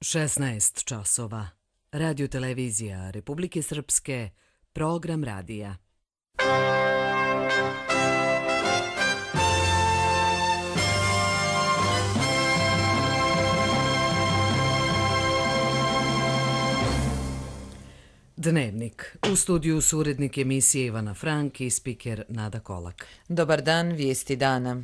16 časova. Radio televizija Republike Srpske, program radija. Dnevnik. U studiju su urednik emisije Ivana Frank i spiker Nada Kolak. Dobar dan, vijesti dana.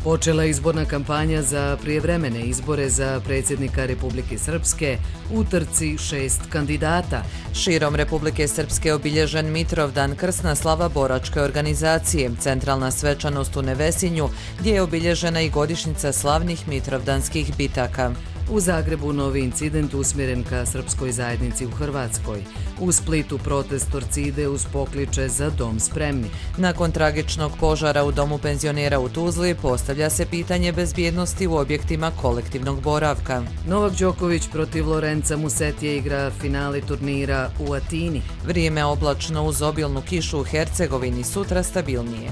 Počela izborna kampanja za prijevremene izbore za predsjednika Republike Srpske u trci 6 kandidata. Širom Republike Srpske obilježen Mitrovdan, krsna slava boračke organizacije, centralna svečanost u Nevesinju, gdje je obilježena i godišnjica slavnih mitrovdanskih bitaka. U Zagrebu novi incident usmjeren ka srpskoj zajednici u Hrvatskoj. U Splitu protest Torcide uz pokliče za dom spremni. Nakon tragičnog požara u domu penzionera u Tuzli postavlja se pitanje bezbjednosti u objektima kolektivnog boravka. Novak Đoković protiv Lorenza Musetije igra finale turnira u Atini. Vrijeme oblačno uz obilnu kišu u Hercegovini, sutra stabilnije.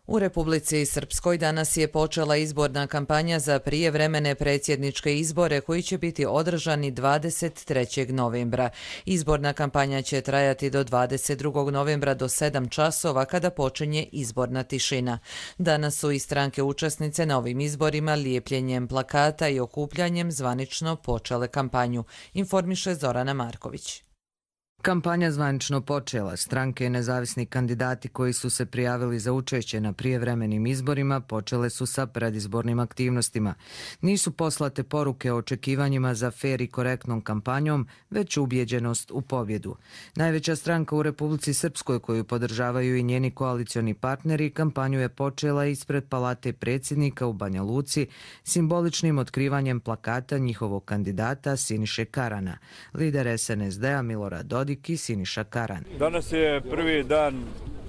U Republici Srpskoj danas je počela izborna kampanja za prijevremene predsjedničke izbore koji će biti održani 23. novembra. Izborna kampanja će trajati do 22. novembra do 7 časova kada počinje izborna tišina. Danas su i stranke učesnice na ovim izborima lijepljenjem plakata i okupljanjem zvanično počele kampanju, informiše Zorana Marković. Kampanja zvanično počela. Stranke i nezavisni kandidati koji su se prijavili za učešće na prijevremenim izborima počele su sa predizbornim aktivnostima. Nisu poslate poruke o očekivanjima za fer i korektnom kampanjom, već ubjeđenost u pobjedu. Najveća stranka u Republici Srpskoj koju podržavaju i njeni koalicioni partneri, kampanju je počela ispred Palate predsjednika u Banja Luci simboličnim otkrivanjem plakata njihovog kandidata Siniše Karana. Lider SNSD-a Milorad Dodik i Siniša Karan. Danas je prvi dan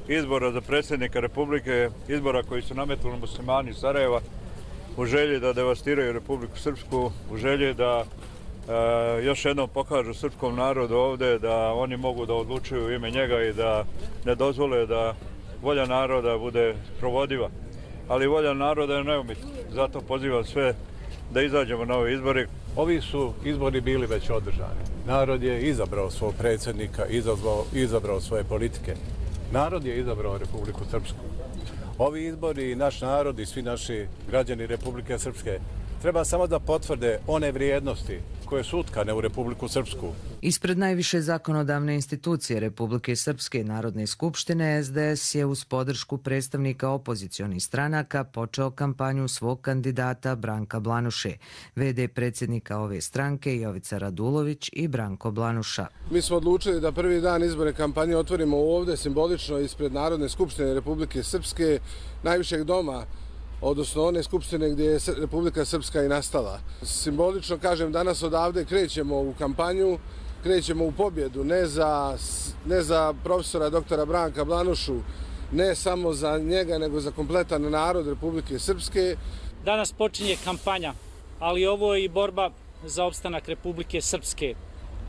izbora za predsjednika Republike, izbora koji su nametnuli muslimani iz Sarajeva u želji da devastiraju Republiku Srpsku, u želji da još jednom pokažu srpskom narodu ovdje da oni mogu da odlučuju u ime njega i da ne dozvole da volja naroda bude provodiva. Ali volja naroda je neumitna. Zato pozivam sve da izađemo na ove izbore. Ovi su izbori bili već održani. Narod je izabrao svog predsjednika, izabrao svoje politike. Narod je izabrao Republiku Srpsku. Ovi izbori i naš narod i svi naši građani Republike Srpske treba samo da potvrde one vrijednosti koje su utkane u Republiku Srpsku. Ispred najviše zakonodavne institucije Republike Srpske i Narodne skupštine SDS je uz podršku predstavnika opozicionih stranaka počeo kampanju svog kandidata Branka Blanuše. VD predsjednika ove stranke Jovica Radulović i Branko Blanuša. Mi smo odlučili da prvi dan izborne kampanje otvorimo ovdje simbolično ispred Narodne skupštine Republike Srpske, najvišeg doma, odnosno one skupštine gdje je Republika Srpska i nastala. Simbolično kažem, danas odavde krećemo u kampanju, krećemo u pobjedu, ne za profesora doktora Branka Blanušu, ne samo za njega, nego za kompletan narod Republike Srpske. Danas počinje kampanja, ali ovo je i borba za opstanak Republike Srpske.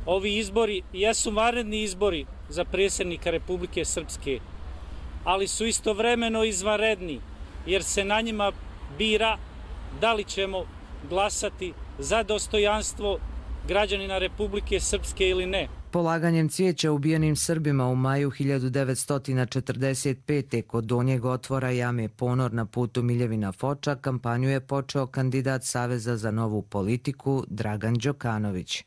Ovi izbori jesu vanredni izbori za predsjednika Republike Srpske, ali su istovremeno izvanredni, jer se na njima bira da li ćemo glasati za dostojanstvo građanina Republike Srpske ili ne. Polaganjem cvijeća ubijenim Srbima u maju 1945. kod Donjeg otvora jame Ponor na putu Miljevina Foča kampanju je počeo kandidat Saveza za novu politiku Dragan Đokanović.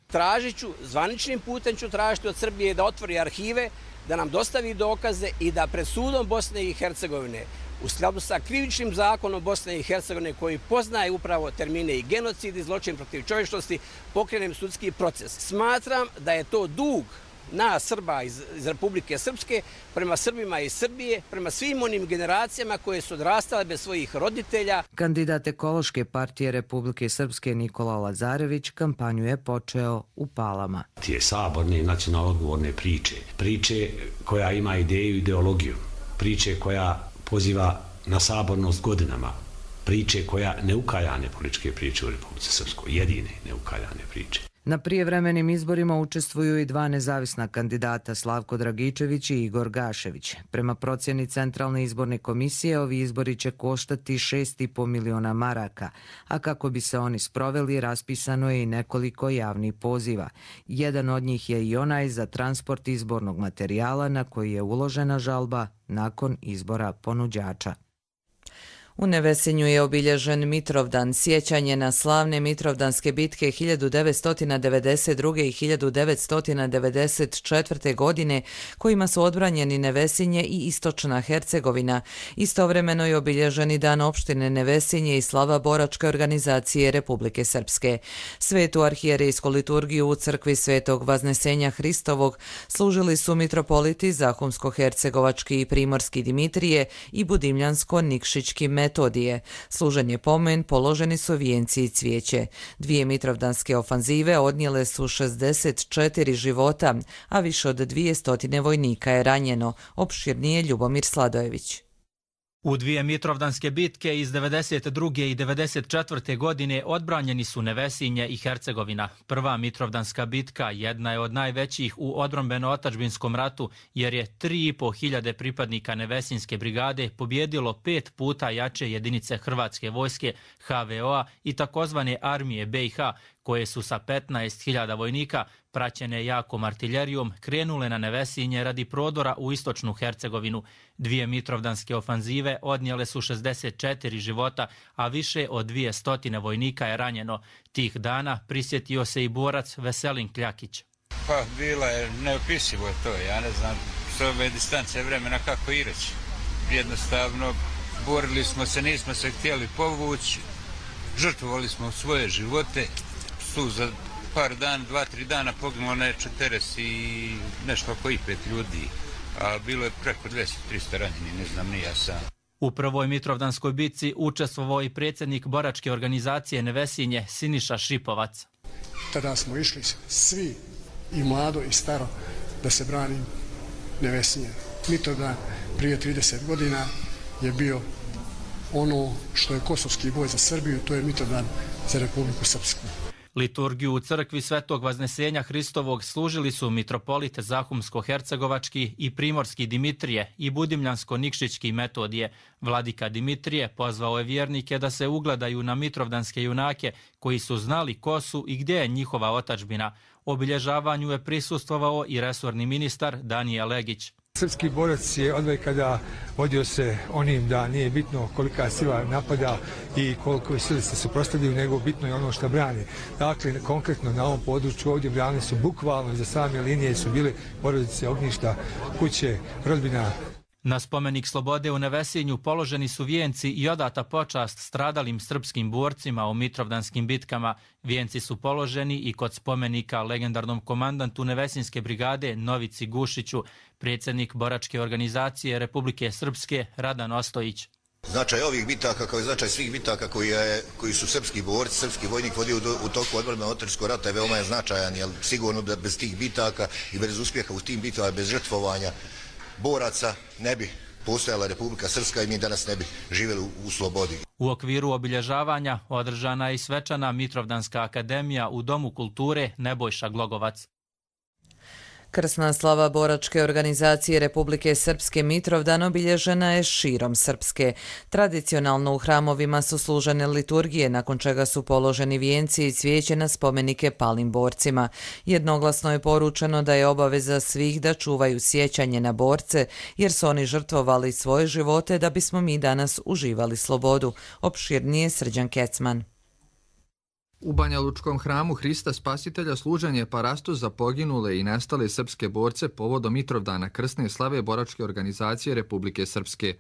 Zvaničnim putem ću tražiti od Srbije da otvori arhive, da nam dostavi dokaze i da pred sudom Bosne i Hercegovine u skladu sa krivičnim zakonom Bosne i Hercegovine koji poznaje upravo termine i genocid i zločin protiv čovječnosti, pokrenem sudski proces. Smatram da je to dug nas Srba iz Republike Srpske prema Srbima iz Srbije, prema svim onim generacijama koje su odrastale bez svojih roditelja. Kandidat Ekološke partije Republike Srpske Nikola Lazarević kampanju je počeo u Palama. Tije saborne i nacionalno odgovorne priče koja ima ideju i ideologiju, priče koja poziva na sabornost godinama, priče koja neukaljane političke priče u Republici Srpskoj, jedine neukaljane priče. Na prijevremenim izborima učestvuju i 2 nezavisna kandidata, Slavko Dragičević i Igor Gašević. Prema procjeni Centralne izborne komisije, ovi izbori će koštati 6,5 miliona maraka, a kako bi se oni sproveli, raspisano je i nekoliko javnih poziva. Jedan od njih je i onaj za transport izbornog materijala na koji je uložena žalba nakon izbora ponuđača. U Nevesinju je obilježen Mitrovdan, sjećanje na slavne Mitrovdanske bitke 1992. i 1994. godine, kojima su odbranjeni Nevesinje i Istočna Hercegovina. Istovremeno je obilježen i Dan opštine Nevesinje i slava Boračke organizacije Republike Srpske. Svetu arhijerejsku liturgiju u crkvi Svetog Vaznesenja Hristovog služili su mitropoliti Zahumsko-hercegovački i Primorski Dimitrije i Budimljansko-Nikšićki Metodije. Služen je pomen, položeni su vijenci i cvijeće. 2 mitrovdanske ofanzive odnijele su 64 života, a više od 200 vojnika je ranjeno. Opširnije Ljubomir Sladojević. U 2 mitrovdanske bitke iz 92. i 94. godine odbranjeni su Nevesinje i Hercegovina. Prva mitrovdanska bitka jedna je od najvećih u odbrambeno-otačbinskom ratu, jer je 3.500 pripadnika Nevesinske brigade pobjedilo 5 puta jače jedinice Hrvatske vojske, HVO-a i takozvane armije BiH, koje su sa 15.000 vojnika, praćene jakom artiljerijom, krenule na Nevesinje radi prodora u Istočnu Hercegovinu. 2 mitrovdanske ofanzive odnijele su 64 života, a više od 200 vojnika je ranjeno. Tih dana prisjetio se i borac Veselin Kljakić. Pa bilo je neopisivo to, ja ne znam s ove distance vremena kako i reći. Jednostavno, borili smo se, nismo se htjeli povući, žrtvovali smo svoje živote. Tu za par dana, 2-3 dana poginulo ne 40 i nešto oko i 5 ljudi, a bilo je preko 200-300 ranjeni, ne znam ni ja sam. U prvoj mitrovdanskoj bitci učestvovao i predsjednik Boračke organizacije Nevesinje Siniša Šipovac. Tada smo išli svi, i mlado i staro, da se brani Nevesinje. Mitrovdan prije 30 godina je bio ono što je kosovski boj za Srbiju, to je Mitrovdan za Republiku Srpsku. Liturgiju u crkvi Svetog Vaznesenja Hristovog služili su mitropolit Zahumsko-hercegovački i Primorski Dimitrije i Budimljansko-Nikšićki Metodije. Vladika Dimitrije pozvao je vjernike da se ugledaju na mitrovdanske junake koji su znali ko su i gdje je njihova otadžbina. Obilježavanju je prisustvovao i resorni ministar Danije Legić. Srpski borac je odvek kada vodio se onim da nije bitno kolika sila napada i koliko sile se suprotstavljaju, nego bitno je ono što brani. Dakle, konkretno na ovom području ovdje brani su bukvalno iza same linije su bile porodice, ognjišta, kuće, rodbina. Na spomenik slobode u Nevesinju položeni su vijenci i odata počast stradalim srpskim borcima u mitrovdanskim bitkama. Vijenci su položeni i kod spomenika legendarnom komandantu Nevesinske brigade Novici Gušiću, predsjednik Boračke organizacije Republike Srpske Radan Ostojić. Značaj ovih bitaka kao i značaj svih bitaka koji su srpski borci, srpski vojnik vodio u toku odbrambeno-otačbinskog rata je veoma je značajan, jer sigurno da bez tih bitaka i bez uspjeha u tim bitkama, bez žrtvovanja boraca ne bi postojala Republika Srpska i mi danas ne bi živjeli u slobodi. U okviru obilježavanja održana je i svečana Mitrovdanska akademija u Domu kulture Nebojša Glogovac. Krsna slava Boračke organizacije Republike Srpske Mitrovdan obilježena je širom Srpske. Tradicionalno u hramovima su služene liturgije, nakon čega su položeni vijenci i cvijeće na spomenike palim borcima. Jednoglasno je poručeno da je obaveza svih da čuvaju sjećanje na borce, jer su oni žrtvovali svoje živote da bismo mi danas uživali slobodu. Opširnije Srđan Kecman. U Banja Lučkom hramu Hrista Spasitelja služen je parastos za poginule i nestale srpske borce povodom Mitrovdana krsne slave Boračke organizacije Republike Srpske.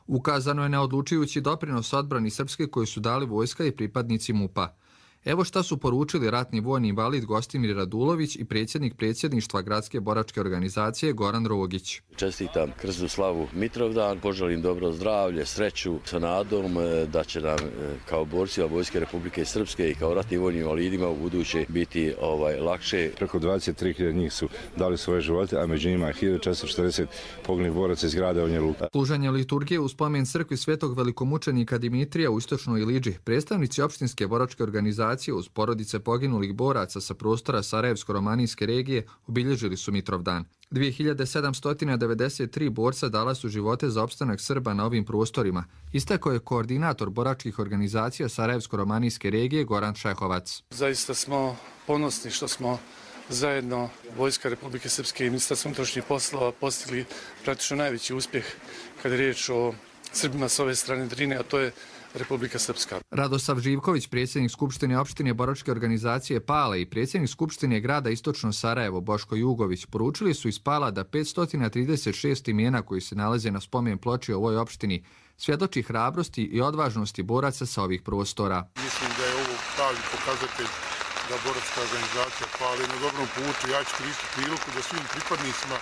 Ukazano je na odlučujući doprinos odbrani Srpske koji su dali vojska i pripadnici MUP-a. Evo šta su poručili ratni vojni invalid Gostimir Radulović i predsjednik predsjedništva Gradske Boračke organizacije Goran Rogić. Čestitam krsnu slavu Mitrovdan, poželim dobro zdravlje, sreću sa nadom da će nam kao borcima Vojske Republike Srpske i kao ratnim vojnim invalidima u buduće biti lakše. Preko 23.000 njih su dali svoje živote, a među njima je 1440 poginulih boraca iz grada Banja Luka. Služenje liturgije u spomen crkvi Svetog velikomučenika Dimitrija u Istočnoj Iliđi, predstavnici opštinske Boračke organizacije organizacije uz porodice poginulih boraca sa prostora Sarajevsko-romanijske regije obilježili su Mitrovdan. 2793 borca dala su živote za opstanak Srba na ovim prostorima, istakao je koordinator boračkih organizacija Sarajevsko-romanijske regije Goran Šehovac. Zaista smo ponosni što smo zajedno Vojska Republike Srpske i Ministarstvo unutrašnjih poslova postigli praktično najveći uspjeh kada je riječ o Srbima s ove strane Drine, a to je Republika Srpska. Radosav Živković, predsjednik Skupštine opštine boračke organizacije Pale i predsjednik Skupštine grada Istočno Sarajevo Boško Jugović poručili su iz Pala da 536 imena koji se nalaze na spomen ploči u ovoj opštini svjedoči hrabrosti i odvažnosti boraca sa ovih prostora. Mislim da je ovo pravi pokazatelj da boračka organizacija Pale na dobrom putu. Ja ću koristiti priliku da svim pripadnicima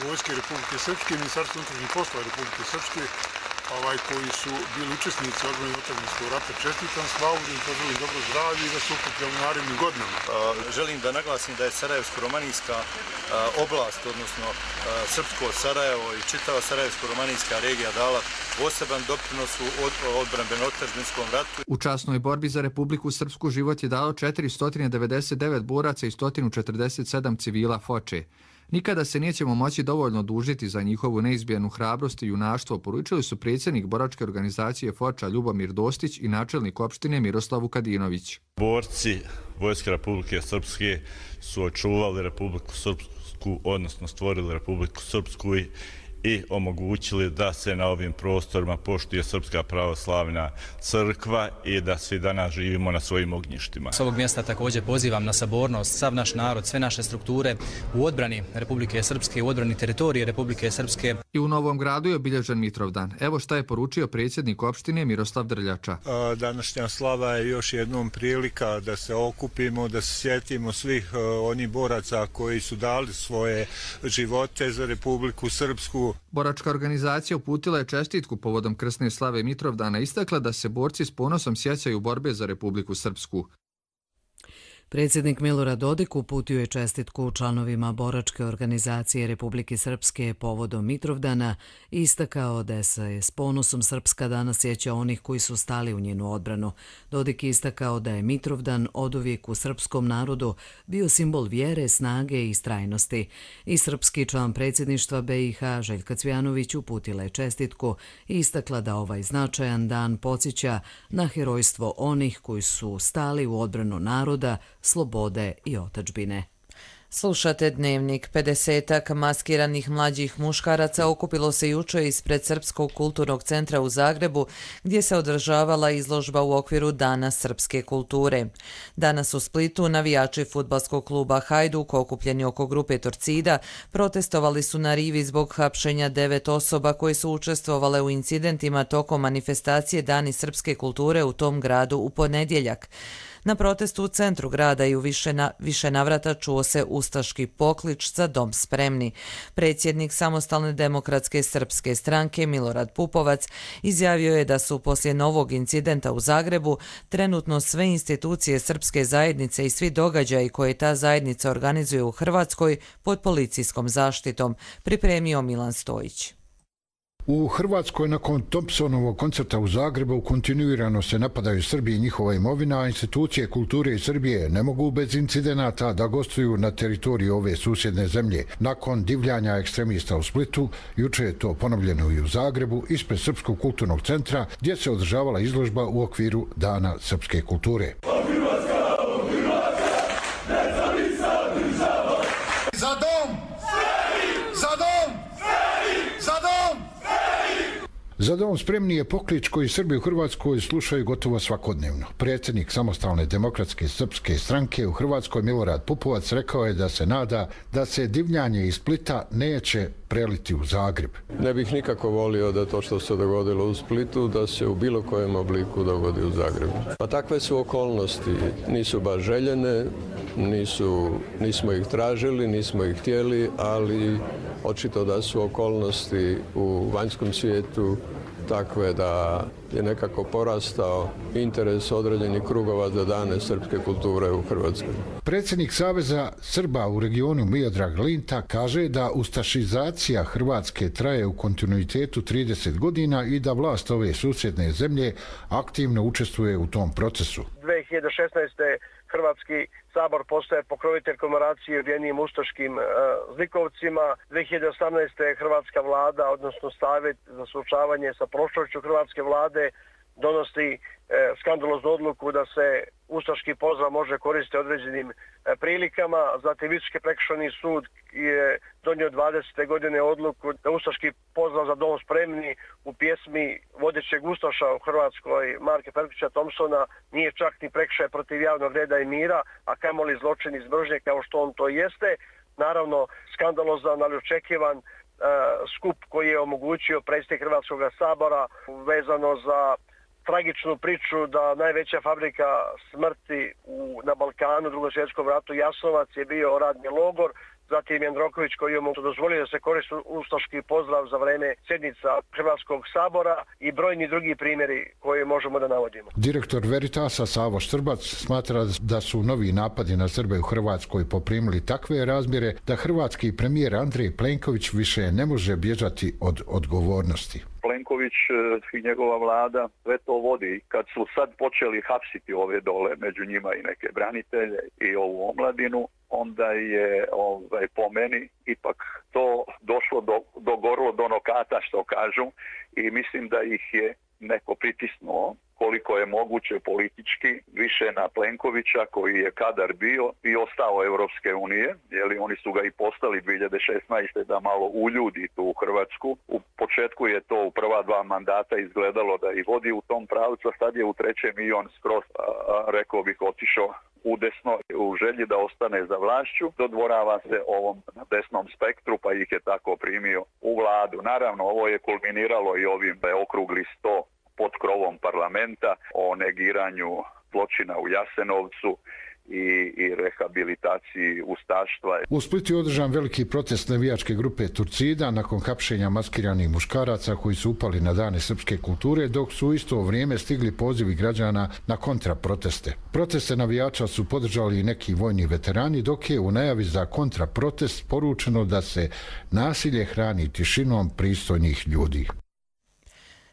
Vojske Republike Srpske i Ministarstva unutrašnjih poslova Republike Srpske koji su bili učesnici odbrane otadžbinskog rata, čestitam slavu, da im poželim dobro zdravlje i da se okuplja u narednim godinama. Želim da naglasim da je Sarajevsko-romanijska oblast, odnosno Srpsko Sarajevo i čitava Sarajevsko-romanijska regija dala poseban doprinos u odbrambeno-otadžbinskom ratu. U časnoj borbi za Republiku Srpsku život je dalo 499 boraca i 147 civila Foče. Nikada se nećemo moći dovoljno dužiti za njihovu neizbijenu hrabrost i junaštvo, poručili su predsjednik boračke organizacije Foča Ljubomir Dostić i načelnik opštine Miroslav Vukadinović. Borci Vojske Republike Srpske su očuvali Republiku Srpsku, odnosno stvorili Republiku Srpsku i omogućili da se na ovim prostorima poštuje Srpska pravoslavna crkva i da svi danas živimo na svojim ognjištima. S ovog mjesta također pozivam na sabornost sav naš narod, sve naše strukture u odbrani Republike Srpske, u odbrani teritorije Republike Srpske. I u Novom Gradu je obilježen Mitrovdan. Evo šta je poručio predsjednik opštine Miroslav Drljača. Današnja slava je još jednom prilika da se okupimo, da se sjetimo svih onih boraca koji su dali svoje živote za Republiku Srpsku. Boračka organizacija uputila je čestitku povodom krsne slave Mitrovdana, istakla da se borci s ponosom sjećaju borbe za Republiku Srpsku. Predsjednik Milorad Dodik uputio je čestitku članovima boračke organizacije Republike Srpske povodom Mitrovdana i istakao da se s ponosom Srpska danas sjeća onih koji su stali u njenu odbranu. Dodik je istakao da je Mitrovdan oduvijek u srpskom narodu bio simbol vjere, snage i istrajnosti. I srpski član predsjedništva BiH Željka Cvjanović uputila je čestitku i istakla da ovaj značajan dan podsjeća na herojstvo onih koji su stali u odbranu naroda, slobode i otadžbine. Slušate Dnevnik. 50-ak maskiranih mlađih muškaraca okupilo se juče ispred Srpskog kulturnog centra u Zagrebu, gdje se održavala izložba u okviru Dana srpske kulture. Danas u Splitu navijači fudbalskog kluba Hajduk, okupljeni oko grupe Torcida, protestovali su na rivi zbog hapšenja 9 osoba koje su učestvovale u incidentima tokom manifestacije Dani srpske kulture u tom gradu u ponedjeljak. Na protestu u centru grada i u više navrata čuo se ustaški poklič za dom spremni. Predsjednik Samostalne demokratske srpske stranke Milorad Pupovac izjavio je da su poslije novog incidenta u Zagrebu trenutno sve institucije srpske zajednice i svi događaji koje ta zajednica organizuje u Hrvatskoj pod policijskom zaštitom, pripremio Milan Stojić. U Hrvatskoj nakon Thompsonovog koncerta u Zagrebu kontinuirano se napadaju Srbi i njihova imovina, a institucije kulture iz Srbije ne mogu bez incidenata da gostuju na teritoriji ove susjedne zemlje. Nakon divljanja ekstremista u Splitu, juče je to ponovljeno i u Zagrebu ispred Srpskog kulturnog centra gdje se održavala izložba u okviru Dana srpske kulture. Za dom! Za dom! Za dom! Za dom spremni je poklič koji Srbi u Hrvatskoj slušaju gotovo svakodnevno. Predsjednik Samostalne demokratske srpske stranke u Hrvatskoj Milorad Pupovac rekao je da se nada da se divljanje iz Splita neće preliti u Zagreb. Ne bih nikako volio da to što se dogodilo u Splitu da se u bilo kojem obliku dogodi u Zagrebu. Pa takve su okolnosti, nisu baš željene, nismo ih tražili, nismo ih htjeli, ali očito da su okolnosti u vanjskom svijetu takve da je nekako porastao interes određenih krugova za dane srpske kulture u Hrvatskoj. Predsjednik Saveza Srba u regionu Miodrag Linta kaže da ustašizacija Hrvatske traje u kontinuitetu 30 godina i da vlast ove susjedne zemlje aktivno učestvuje u tom procesu. 2016. Hrvatski sabor postaje pokrovitelj komemoracije ubijenim ustaškim zlikovcima. 2018. Hrvatska vlada, odnosno Savjet za suočavanje sa prošlošću Hrvatske vlade, donosi skandaloznu odluku da se ustaški pozdrav može koristiti određenim prilikama. Zatim Visoki prekršajni sud je donio 20. godine odluku da ustaški pozdrav za dom spremni u pjesmi vodećeg ustaša u Hrvatskoj Marka Perkovića Thompsona nije čak ni prekršaj protiv javnog reda i mira, a kamoli zločin iz mržnje kao što on to jeste. Naravno, skandalozan, ali očekivan skup koji je omogućio predsjednik Hrvatskog sabora vezano za tragičnu priču da najveća fabrika smrti na Balkanu u Drugom svjetskom ratu Jasenovac je bio radni logor. Zatim Jandroković koji je mu dozvolio da se koristi ustaški pozdrav za vreme sjednica Hrvatskog sabora i brojni drugi primjeri koje možemo da navodimo. Direktor Veritasa Savo Štrbac smatra da su novi napadi na Srbe u Hrvatskoj poprimili takve razmjere da hrvatski premijer Andrej Plenković više ne može bježati od odgovornosti. Plenković i njegova vlada sve to vodi. Kad su sad počeli hapsiti ove dole, među njima i neke branitelje i ovu omladinu, onda je po meni ipak to došlo do gorlo do nokata, što kažu, i mislim da ih je neko pritisnuo koliko je moguće politički više na Plenkovića koji je kadar bio i ostao Europske unije, jer oni su ga i postali 2016. da malo uljudi tu u Hrvatsku. U početku je to u prva 2 mandata izgledalo da i vodi u tom pravcu, a sad je u trećem i on skroz, rekao bih, otišao udesno u želji da ostane za vlašću, dodvorava se ovom desnom spektru pa ih je tako primio u vladu. Naravno, ovo je kulminiralo i ovim da je okrugli 100 pod krovom parlamenta o negiranju zločina u Jasenovcu i rehabilitaciji ustaštva. U Splitu je održan veliki protest navijačke grupe Turcida nakon hapšenja maskiranih muškaraca koji su upali na dane srpske kulture, dok su u isto vrijeme stigli pozivi građana na kontraproteste. Proteste navijača su podržali i neki vojni veterani, dok je u najavi za kontraprotest poručeno da se nasilje hrani tišinom pristojnih ljudi.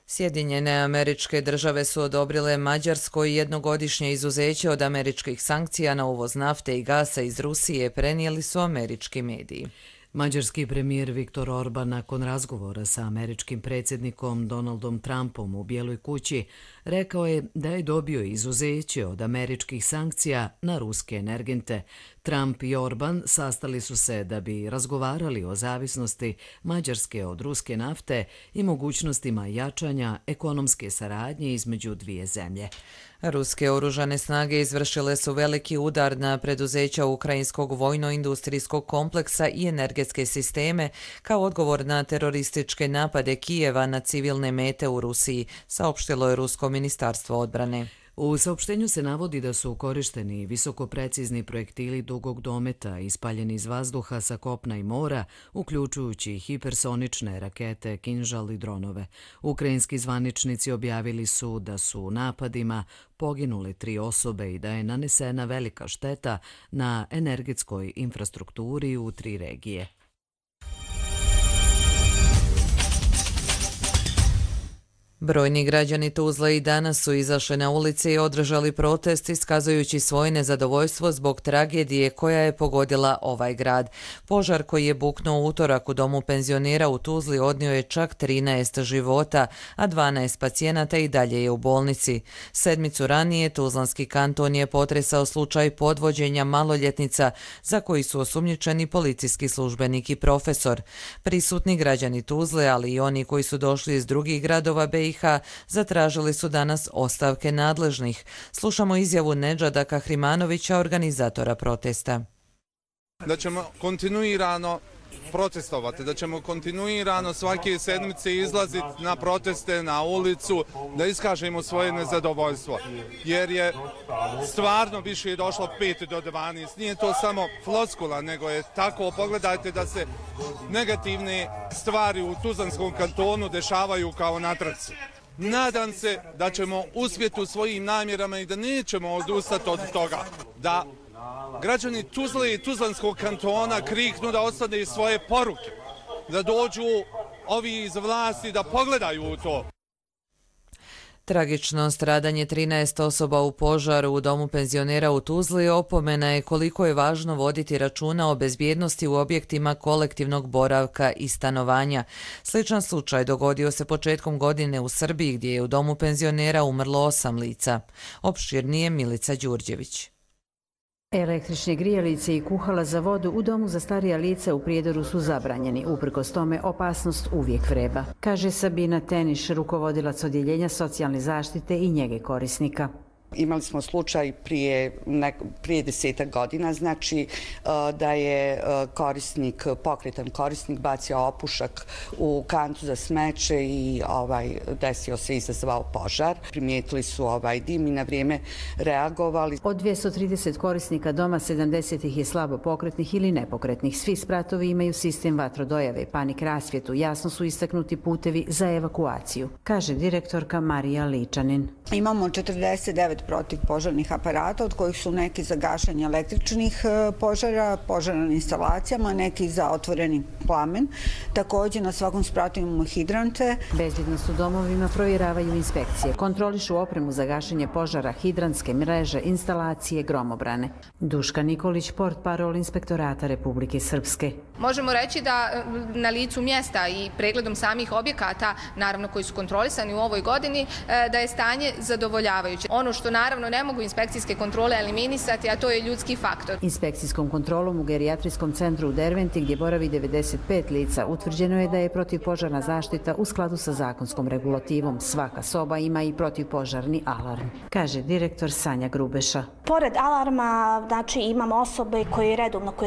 Sjedinjene Američke Države su odobrile Mađarskoj jednogodišnje izuzeće od američkih sankcija na uvoz nafte i gasa iz Rusije, prenijeli su američki mediji. Mađarski premijer Viktor Orban nakon razgovora sa američkim predsjednikom Donaldom Trumpom u Bijeloj kući rekao je da je dobio izuzeće od američkih sankcija na ruske energente. Trump i Orban sastali su se da bi razgovarali o zavisnosti Mađarske od ruske nafte i mogućnostima jačanja ekonomske saradnje između dvije zemlje. Ruske oružane snage izvršile su veliki udar na preduzeća ukrajinskog vojno-industrijskog kompleksa i energetske sisteme kao odgovor na terorističke napade Kijeva na civilne mete u Rusiji, saopštilo je Rusko ministarstvo odbrane. U saopštenju se navodi da su korišteni visokoprecizni projektili dugog dometa ispaljeni iz vazduha sa kopna i mora, uključujući hipersonične rakete, kinžal i dronove. Ukrajinski zvaničnici objavili su da su u napadima poginule 3 osobe i da je nanesena velika šteta na energetskoj infrastrukturi u 3 regije. Brojni građani Tuzle i danas su izašli na ulice i održali protest iskazujući svoje nezadovoljstvo zbog tragedije koja je pogodila ovaj grad. Požar koji je buknuo u utorak u domu penzionera u Tuzli odnio je čak 13 života, a 12 pacijenata i dalje je u bolnici. 7 ranije Tuzlanski kanton je potresao slučaj podvođenja maloljetnica za koji su osumnjičeni policijski službenik i profesor. Prisutni građani Tuzle, ali i oni koji su došli iz drugih gradova BiH, zatražili su danas ostavke nadležnih. Slušamo izjavu Nedžada Kahrimanovića, organizatora protesta. Da ćemo kontinuirano protestovati, da ćemo kontinuirano svake sedmice izlaziti na proteste, na ulicu, da iskažemo svoje nezadovoljstvo. Jer je stvarno više došlo 5 do 12. Nije to samo floskula, nego je tako. Pogledajte da se negativne stvari u Tuzlanskom kantonu dešavaju kao na trci. Nadam se da ćemo uspjeti u svojim namjerama i da nećemo odustati od toga. Da građani Tuzle i Tuzlanskog kantona kriknu da ostane svoje poruke. Da dođu ovi iz vlasti da pogledaju u to. Tragično stradanje 13 osoba u požaru u domu penzionera u Tuzli opomena je koliko je važno voditi računa o bezbjednosti u objektima kolektivnog boravka i stanovanja. Sličan slučaj dogodio se početkom godine u Srbiji gdje je u domu penzionera umrlo 8 lica. Opširnije Milica Đurđević. Električne grijalice i kuhala za vodu u domu za starija lica u Prijedoru su zabranjeni. Uprkos tome, opasnost uvijek vreba, kaže Sabina Teniš, rukovodilac odjeljenja socijalne zaštite i njege korisnika. Imali smo slučaj prije 10 godina, znači da je pokretan korisnik bacio opušak u kantu za smeće i desio se, izazvao požar. Primijetili su dim i na vrijeme reagovali. Od 230 korisnika doma, 70 ih je slabo pokretnih ili nepokretnih. Svi spratovi imaju sistem vatrodojave, panik rasvjetu, jasno su istaknuti putevi za evakuaciju, kaže direktorka Marija Ličanin. Imamo 49 protivpožarnih aparata, od kojih su neki za gašenje električnih požara, požara na instalacijama, neki za otvoreni plamen. Također na svakom spratu imamo hidrante. Bezbjednost u domovima provjeravaju inspekcije. Kontrolišu opremu za gašenje požara, hidrantske mreže, instalacije, gromobrane. Duška Nikolić, portparol Inspektorata Republike Srpske. Možemo reći da na licu mjesta i pregledom samih objekata, naravno koji su kontrolisani u ovoj godini, da je stanje zadovoljavajuće. Ono što naravno ne mogu inspekcijske kontrole eliminisati, a to je ljudski faktor. Inspekcijskom kontrolom u gerijatrijskom centru u Derventi, gdje boravi 95 lica, utvrđeno je da je protivpožarna zaštita u skladu sa zakonskom regulativom. Svaka soba ima i protivpožarni alarm, kaže direktor Sanja Grubeša. Pored alarma, znači imamo osobe koji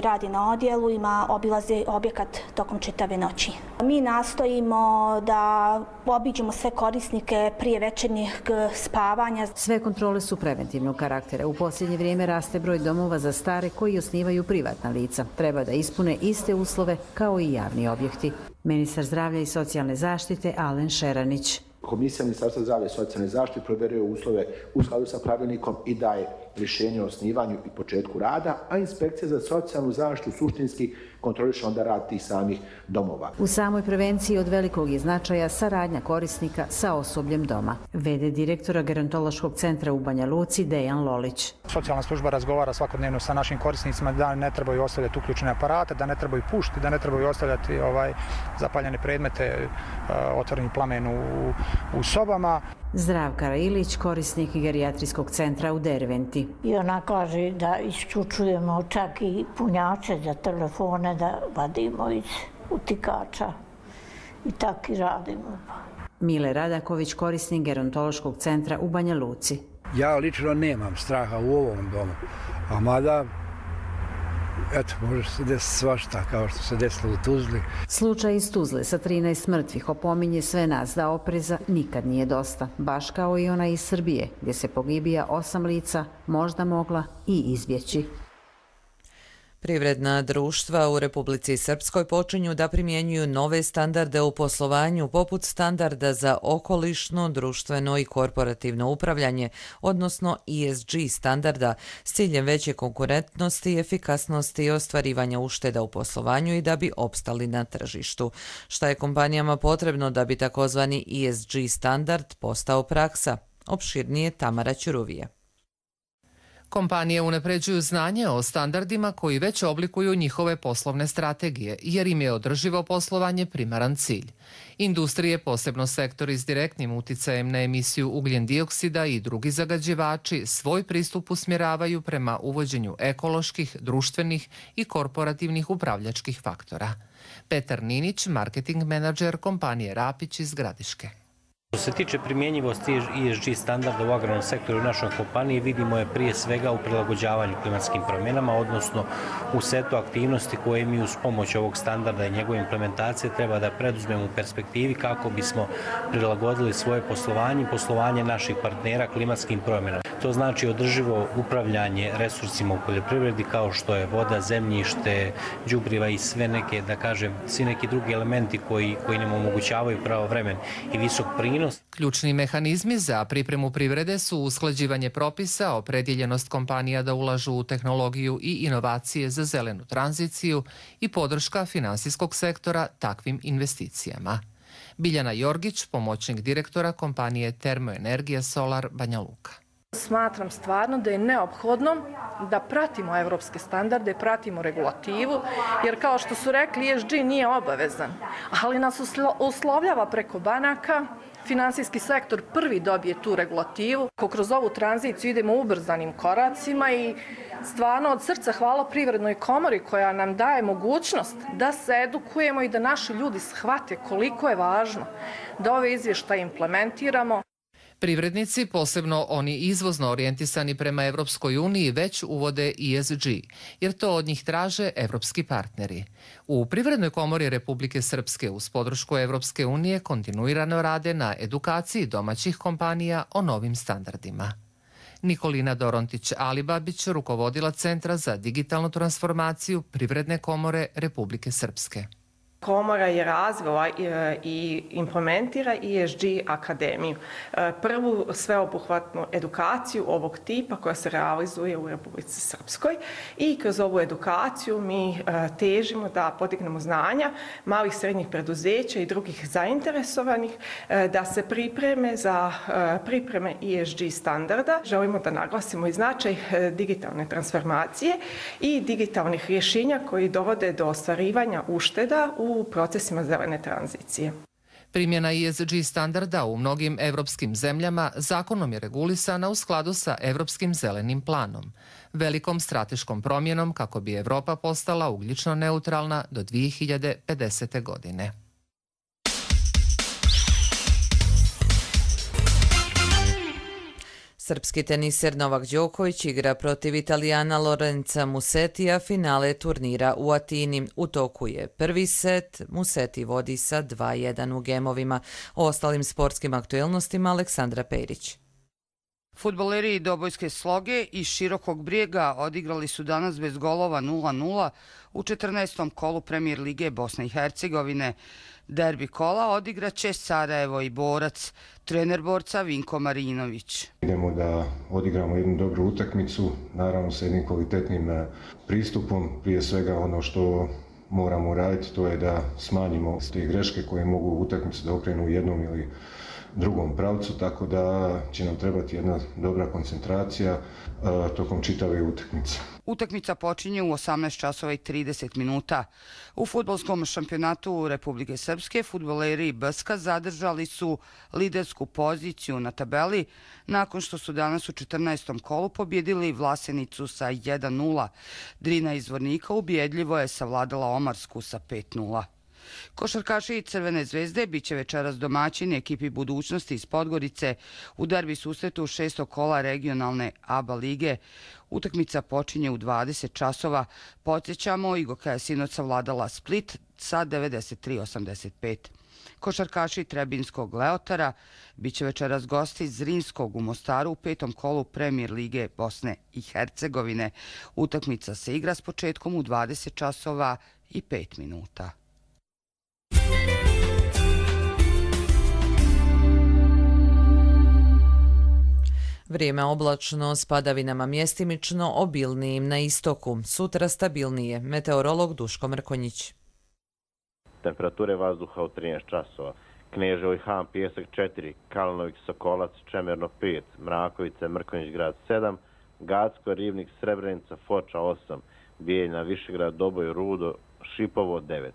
radi na odjelu, obilaze objekat tokom čitave noći. Mi nastojimo da obiđemo sve korisnike prije večernjeg spavanja. Sve kontrole su preventivnog karaktera. U posljednje vrijeme raste broj domova za stare koji osnivaju privatna lica. Treba da ispune iste uslove kao i javni objekti. Ministar zdravlja i socijalne zaštite Alen Šeranić. Komisija Ministarstva zdravlja i socijalne zaštite provjeruje uslove u skladu sa pravilnikom i daje rješenje o osnivanju i početku rada, a inspekcija za socijalnu zaštitu suštinski kontroliše onda rad tih samih domova. U samoj prevenciji od velikog je značaja saradnja korisnika sa osobljem doma. V.d. direktora Gerontološkog centra u Banja Luci Dejan Lolić. Socijalna služba razgovara svakodnevno sa našim korisnicima da ne trebaju ostavljati uključene aparate, da ne trebaju pušiti, da ne trebaju ostavljati zapaljene predmete, otvoreni plamen u sobama. Zdravka Ilić, korisnik gerijatrijskog centra u Derventi. I ona kaže da isključujemo čak i punjače za telefone da vadimo iz utikača i tako i radimo. Mile Radaković, korisnik gerontološkog centra u Banja Luci. Ja lično nemam straha u ovom domu, a mada može se desiti svašta kao što se desilo u Tuzli. Slučaj iz Tuzle sa 13 mrtvih opominje sve nas da opreza nikad nije dosta, baš kao i ona iz Srbije, gdje se pogibija 8 lica možda mogla i izbjeći. Privredna društva u Republici Srpskoj počinju da primjenjuju nove standarde u poslovanju poput standarda za okolišno, društveno i korporativno upravljanje, odnosno ESG standarda, s ciljem veće konkurentnosti, efikasnosti i ostvarivanja ušteda u poslovanju i da bi opstali na tržištu. Šta je kompanijama potrebno da bi takozvani ESG standard postao praksa? Opširnije Tamara Ćuruvije. Kompanije unapređuju znanje o standardima koji već oblikuju njihove poslovne strategije, jer im je održivo poslovanje primaran cilj. Industrije, posebno sektori s direktnim uticajem na emisiju ugljen dioksida i drugi zagađivači, svoj pristup usmjeravaju prema uvođenju ekoloških, društvenih i korporativnih upravljačkih faktora. Petar Ninić, marketing menadžer kompanije Rapić iz Gradiške. Što se tiče primjenjivosti ESG standarda u agrarnom sektoru u našoj kompaniji, vidimo je prije svega u prilagođavanju klimatskim promjenama, odnosno u setu aktivnosti koje mi uz pomoć ovog standarda i njegove implementacije treba da preduzmemo u perspektivi kako bismo prilagodili svoje poslovanje i poslovanje naših partnera klimatskim promjenama. To znači održivo upravljanje resursima u poljoprivredi kao što je voda, zemljište, đubriva i sve neke, da kažem, svi neki drugi elementi koji nam omogućavaju pravovremen i visok prinos. Ključni mehanizmi za pripremu privrede su usklađivanje propisa, opredjeljenost kompanija da ulažu u tehnologiju i inovacije za zelenu tranziciju i podrška finansijskog sektora takvim investicijama. Biljana Jorgić, pomoćnik direktora kompanije Termoenergija Solar Banja Luka. Smatram stvarno da je neophodno da pratimo evropske standarde, pratimo regulativu, jer kao što su rekli, ESG nije obavezan, ali nas uslovljava preko banaka. Finansijski sektor prvi dobije tu regulativu. Kroz ovu tranziciju idemo ubrzanim koracima i stvarno od srca hvala Privrednoj komori koja nam daje mogućnost da se edukujemo i da naši ljudi shvate koliko je važno da ove izvještaje implementiramo. Privrednici, posebno oni izvozno orijentisani prema Evropskoj uniji, već uvode ESG, jer to od njih traže evropski partneri. U Privrednoj komori Republike Srpske uz podršku Evropske unije kontinuirano rade na edukaciji domaćih kompanija o novim standardima. Nikolina Dorontić-Alibabić rukovodila Centra za digitalnu transformaciju Privredne komore Republike Srpske. Komora je razvila i implementira ESG akademiju. Prvu sveobuhvatnu edukaciju ovog tipa koja se realizuje u Republici Srpskoj i kroz ovu edukaciju mi težimo da podignemo znanja malih srednjih preduzeća i drugih zainteresovanih da se pripreme za pripreme ESG standarda. Želimo da naglasimo i značaj digitalne transformacije i digitalnih rješenja koji dovode do ostvarivanja ušteda u procesima zelene tranzicije. Primjena ESG standarda u mnogim evropskim zemljama zakonom je regulisana u skladu sa Evropskim zelenim planom, velikom strateškom promjenom kako bi Evropa postala ugljično neutralna do 2050. godine. Srpski teniser Novak Đoković igra protiv Italijana Lorenza Musetija finale turnira u Atini. U toku je prvi set, Museti vodi sa 2:1 u gemovima. O ostalim sportskim aktuelnostima Aleksandra Perić. Fudbaleri Dobojske Sloge iz Širokog Brijega odigrali su danas bez golova 0:0 u 14. kolu Premijer lige Bosne i Hercegovine. Derbi kola odigraće Sarajevo i Borac, trener Borca Vinko Marinović. Idemo da odigramo jednu dobru utakmicu, naravno sa jednim kvalitetnim pristupom. Prije svega ono što moramo raditi to je da smanjimo te greške koje mogu utakmicu da okrenu u jednom ili drugom pravcu, tako da će nam trebati jedna dobra koncentracija tokom čitave utakmice. Utakmica počinje u 18:30. U fudbalskom šampionatu Republike Srpske fudbaleri Brska zadržali su lidersku poziciju na tabeli nakon što su danas u 14. kolu pobjedili Vlasenicu sa 1:0. Drina iz Zvornika ubjedljivo je savladala Omarsku sa 5:0. Košarkaši Crvene zvezde biće večeras domaćini ekipi Budućnosti iz Podgorice u derbi susretu 6. kola regionalne ABA lige. Utakmica počinje u 20 časova. Podsjećamo, Igoka je sinoć savladala Split sa 93-85. Košarkaši Trebinskog Leotara biće večeras gosti Zrinskog u Mostaru u 5. kolu Premijer lige Bosne i Hercegovine. Utakmica se igra s početkom u 20 časova i 5 minuta. Vrijeme oblačno, s padavinama mjestimično, obilnijim na istoku. Sutra stabilnije. Meteorolog Duško Mrkonjić. Temperature vazduha u 13 časova. Kneževo i Han, Pijesak 4, Kalinović, Sokolac, Čemerno 5, Mrakovice, Mrkonjić grad 7, Gacko, Rivnik, Srebrenica, Foča 8, Bijeljna, Višegrad, Doboj, Rudo, Šipovo 9.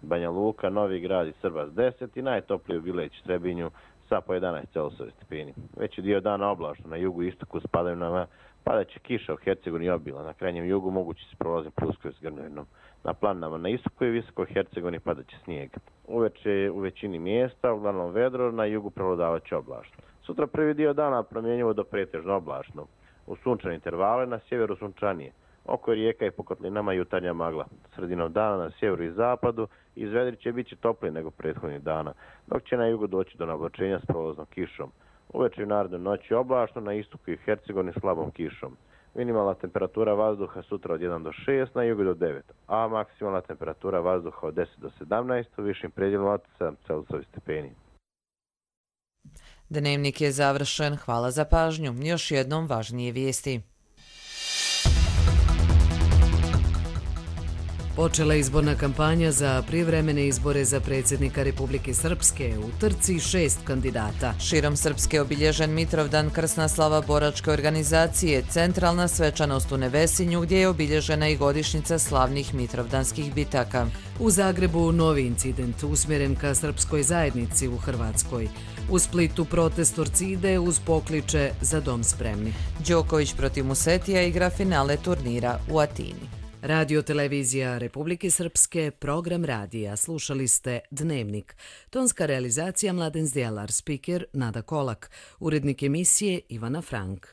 Banja Luka, Novi grad i Srbas 10 i najtoplije u Bileć i Trebinju sa po 11 Celsijevi stepeni. Veći dio dana oblačno na jugu i istoku s padavinama, padaće kiša u Hercegovini i obila. Na krajnjem jugu mogući se prolazim pljuskovim s grmljavinom. Na planinama na istoku i visokoj Hercegovini padaće snijeg. Uveče u većini mjesta, uglavnom vedro, na jugu prevladavaće oblačno. Sutra prvi dio dana promjenjivo do pretežno oblačno. U sunčane intervale, na sjeveru sunčanije. Oko rijeka i po kotlinama jutarnja magla. Sredinom dana na sjeveru i zapadu izvedri će biti toplije nego prethodnih dana, dok će na jugu doći do nablačenja s prolaznom kišom. Uveče i naredne noći oblačno, na istoku i Hercegovini slabom kišom. Minimalna temperatura vazduha sutra od 1 do 6, na jugu do 9, a maksimalna temperatura vazduha od 10 do 17, u višim predjelima od 7 Celzijevih stepeni. Dnevnik je završen. Hvala za pažnju. Još jednom važnije vijesti. Počela izborna kampanja za prijevremene izbore za predsjednika Republike Srpske. U trci 6 kandidata. Širom Srpske obilježen Mitrovdan, krsna slava boračke organizacije, centralna svečanost u Nevesinju gdje je obilježena i godišnjica slavnih mitrovdanskih bitaka. U Zagrebu novi incident usmjeren ka srpskoj zajednici u Hrvatskoj. U Splitu protest Torcide uz pokliče za dom spremni. Đoković protiv Musetija igra finale turnira u Atini. Radio televizija Republike Srpske, program radija. Slušali ste Dnevnik. Tonska realizacija Mladen Zdjelar, spiker Nada Kolak, urednik emisije Ivana Frank.